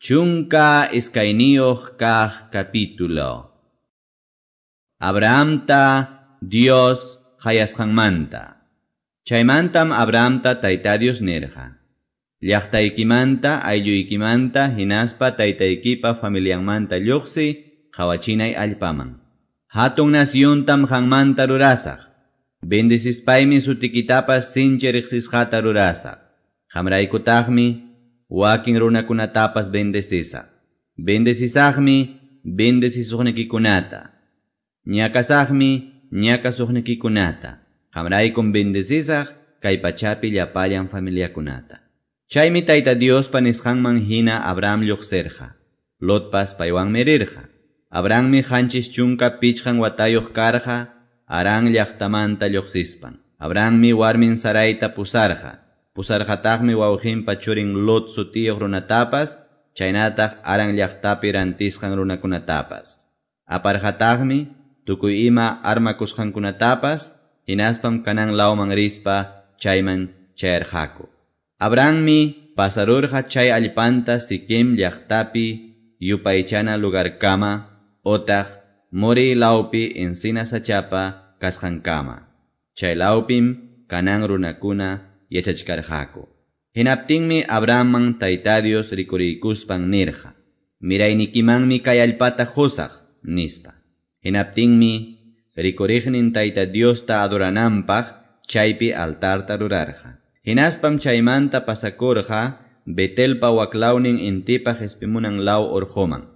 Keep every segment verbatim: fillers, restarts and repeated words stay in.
Chunka iskayniyuq kaq capítulo. Abrahamta Dios qayasqanmanta. Chaymantam Abrahamta Tayta Dios nirqa: Llaqtaykimanta, aylluykimanta, hinaspa taytaykipa familianmanta lluqsi qawachinay allpaman. Hatun nasyuntam qanmanta rurasaq. Bendecispaymi sutikitapas sinchi riqsisqata rurasaq. Qamraykutaqmi wakin runakunatapas bendecisaq. Bendecisaqmi bendecisuqnikikunata. Ñakasaqmi ñakasuqnikikunata. Qamraykum bendecisaq kay pachapi llapallan familiakunata. Chaymi Tayta Diospa nisqanman hina Abraham lluqsirqa. Lotpas paywanmi rirqa. Abrahammi qanchis chunka pichqan watayuq karqa Harán llaqtamanta lluqsispan. Abrahammi warmin Sarayta pusarqa. Pusarqataqmi wawqinpa churin Lot sutiyuq runatapas, chaynataq Harán llaqtapi rantisqan runakunatapas. Aparqataqmi tukuy ima armakusqankunatapas, hinaspam Canaán lawman rispa chayman chayarqaku. Abrahammi pasarurqa chay allpanta Siquem llaqtapi yupaychana lugarkama otaq More lawpi encina sachapa kasqankama. Chay lawpim Canaán runakuna yachachkarqaku. Hinaptinmi Abrahamman Tayta Dios rikuriykuspan nirqa: Miraynikimanmi kay allpata qusaq, nispa. Hinaptinmi rikuriqnin Tayta Diosta adorananpaq chaypi altarta rurarqa. Hinaspam chaymanta pasakurqa Betelpa waklawnin intipa qespimunan law urquman.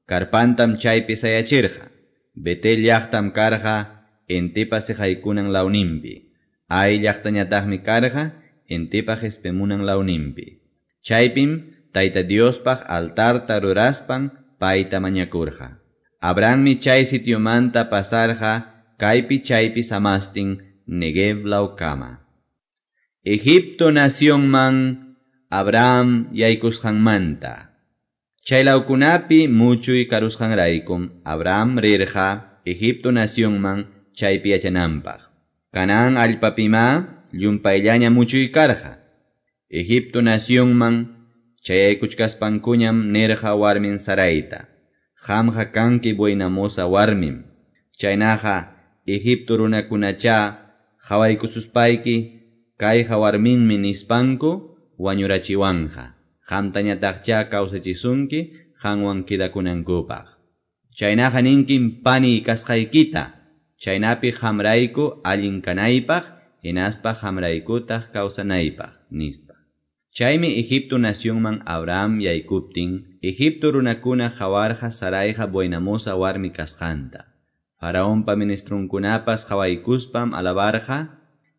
Karpantam chaypi sayachirqa. Betel llaqtam karqa intipa siqaykunan lawninpi. Ai llaqtañataqmi karqa intipa qespimunan lawninpi. Chaypim Tayta Diospaq altarta ruraspan payta mañakurqa. Abrahammi chay sitiomanta pasarqa kaypi chaypi samastin Negev lawkama. Egipto nacionman Abraham yaykusqanmanta. Chay lawkunapi muchuy karusqanraykum Abraham rirqa Egipto nacionman chaypi yachananpaq. Canaán allpapimá llumpayllaña muchuy karqa. Egipto nacionman chayaykuchkaspankuñam nirqa warmin Sarayta: Qamqa kanki buenamosa warmim. Chaynaqa Egipto runakunachá qawaykususpayki kayqa warminmi nispanku wañurachiwanqa. Qamtañataqchá kawsachisunki qanwan quedakunankupaq. Chaynaqa ninkim pani kasqaykita, chaynapi qamrayku allin kanaypaq, hinaspa qamraykutaq kawsanaypaq, nispa. Chaymi Egipto nacionman Abraham yaykuptin, Egipto runakuna qawarqa Sarayqa buenamosa warmi kasqanta. Faraonpa ministrunkunapas qawaykuspam alabarqa,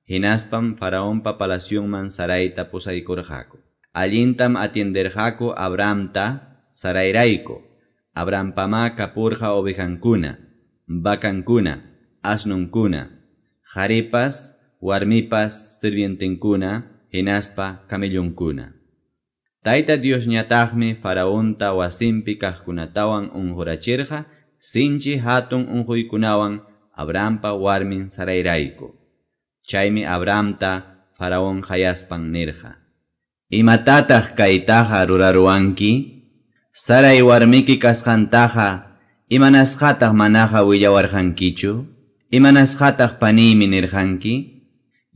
hinaspam Faraonpa palacionman Sarayta pusaykurqaku. Allintam atienderqaku Abrahamta Sarayrayku. Abrahampamá kapurqa ovejankuna, vacankuna, asnunkuna, qharipas, warmipas sirvientenkuna, hinaspa camellonkuna. Tayta Diosñataqmi Faraonta wasinpi kaqkunatawan unqurachirqa sinchi hatun unquykunawan Abrahampa warmin Sarayrayku. Chaymi Abrahamta Faraón qayaspan nirqa: Imatataq kaytaqa ruraruwanki? Saray warmiki kasqantaqa imanasqataq manaqa willawarqankichu? Imanasqataq paniymi nirqanki?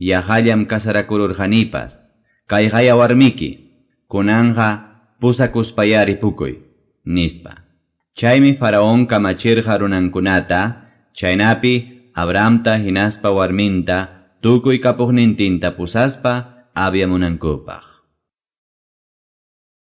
Yaqallam kasarakururqanipas. Kayqaya warmiki, kunanqa pusakuspaya ripukuy, nispa. Chaymi Faraón kamachirqa runankunata, chaynapi Abrahamta hinaspa warminta tukuy kapuqnintinta pusaspa aviamunankupaq.